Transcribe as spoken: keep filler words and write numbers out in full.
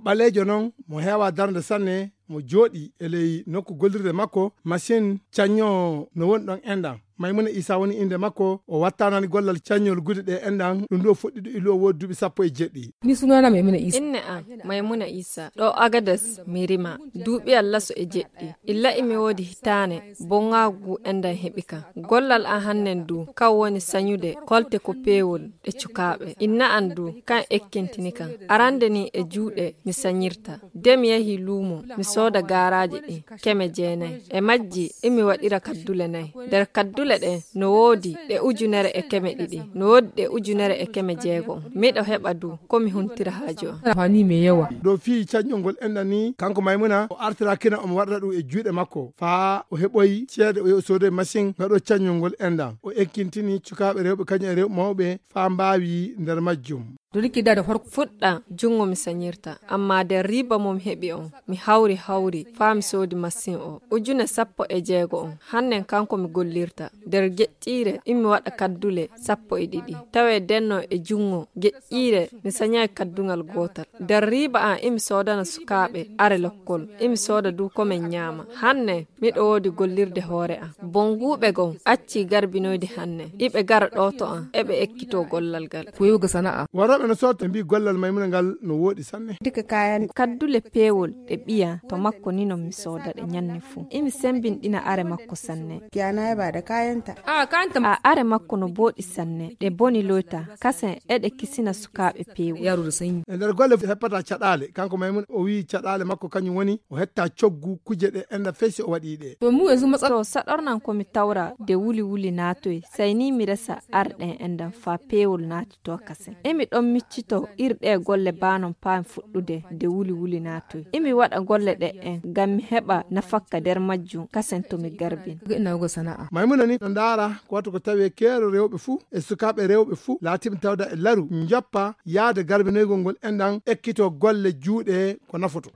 Ɓaleejo noon mo heewaa darnde sanne, mo jooɗii e ley nokku gollirde makko, masiŋ caññoowo no woni ɗoon enɗan. Maymuna Iisaa woni innde makko, o wattanaani gollal caññol gude ɗe enɗan, ɗum ɗo fuɗɗi ɗo ilu o woodi duuɓi sappo e jeɗɗi. Ni sunana Maymuna Iisaa. Inne an Maymuna Iisaa, ɗo Agades mi rima, duuɓi allaso e jeɗɗi. Illa imi woodi hitaane, boŋaagu enɗan heɓi kan. Gollal an hannen du, kan woni sañude kolte ko peewol ɗe cukaaɓe. Inna an du, kan ekkintini kan. Arande ni e juuɗe mi sañirta. De mi yahi luumo, mi sooda gaaraaji ɗin, keme jeenay. E majji, imi waɗira kaddule nay. Nder kaddule ɗen, no woodi ɗe ujunere e keme ɗiɗi, no woodi ɗe ujunere e keme jeego. Miɗo heɓa du, ko mi huntira haaju an. Rafani me yawa. Ɗo fii caññol ngol enɗan ni, kanko Maymuna, o artira kina omo waɗata ɗum e juuɗe makko. Faa o heɓoyi ceede, o yahi o soodoyi masiŋ gaɗo caññol ngol enɗan. O ekkintini cukaaɓe rewɓe kañum e rewɓe mawɓe, faa mbaawi nder majjum. Dori ki dada farko. Fuɗɗa junngo mi sañirta, ammaa nder riiba mo mi heɓi on, mi hawri hawri faa mi soodi masiŋ o, ujune sappo e jeego on. Hannen kanko mi gollirta. Nder geƴƴiire imi waɗa kaddule sappo e ɗiɗi. Tawee denno e junngo geƴƴiire mi sañaay kadduŋal gootal. Nder riiba an imi soodana sukaaɓe are lokkol, imi sooda du ko men ñaama. Hannen miɗo woodi gollirde hoore am. Bonnguuɓe goo accii garbinoyde hannen. Iɓe gara ɗo to an, eɓe ekkitoo gollal ngal. Ko yewga sana'a. Warooɓe no sooto mbii gollal Maymuna ngal no wooɗi sanne. Duka kayan. Kaddule peewol ɗe ɓiya to makko ni non mi sooda ɗe ñanne fuu. Imi sembinɗina are makko sanne. Kiyana ya ba da kayanta. A kanta. A are makko no booɗi sanne. Ɗe boni loyta. Kasen eɗe kisina sukaaɓe peewol. Yaro da sanyi. E nder golle heppata caɗaale. Kanko Maymuna o wii caɗaale makko kañum woni o hetta coggu kuje ɗe enɗan fesi o waɗi ɗe. To mu yanzu matsala. To saɗornan ko mi tawra de wuli wuli naatoy. Say ni mi resa ar ɗen enɗan faa peewol naati to kasen. Emi ɗon miccito ir ɗe golle baa non paan fuɗɗude de wuli wuli naatoy. Emi waɗa golle ɗe en ngam mi heɓa nafakka nder majjum kasen to mi garbin. Ga ina ga sana'a. Maymuna ni no ndaara ko watta ko tawee keero rewɓe fuu e sukaaɓe rewɓe fuu laatiiɓe tawda e laru njoppa yaade garbinoygol ngol enɗan ekkito golle juuɗe ko nafoto.